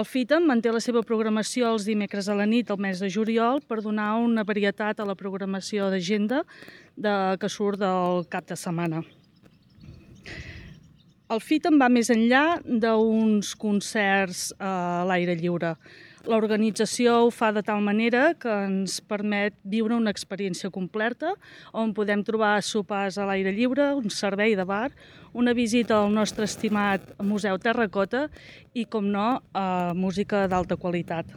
El FITAM manté la seva programació els dimecres a la nit al mes de juliol per donar una varietat a la programació d'agenda que surt del cap de setmana. El FITAM va més enllà d'uns concerts a l'aire lliure. L'organització ho fa de tal manera que ens permet viure una experiència completa on podem trobar sopars a l'aire lliure, un servei de bar, una visita al nostre estimat Museu Terracota i, com no, música d'alta qualitat.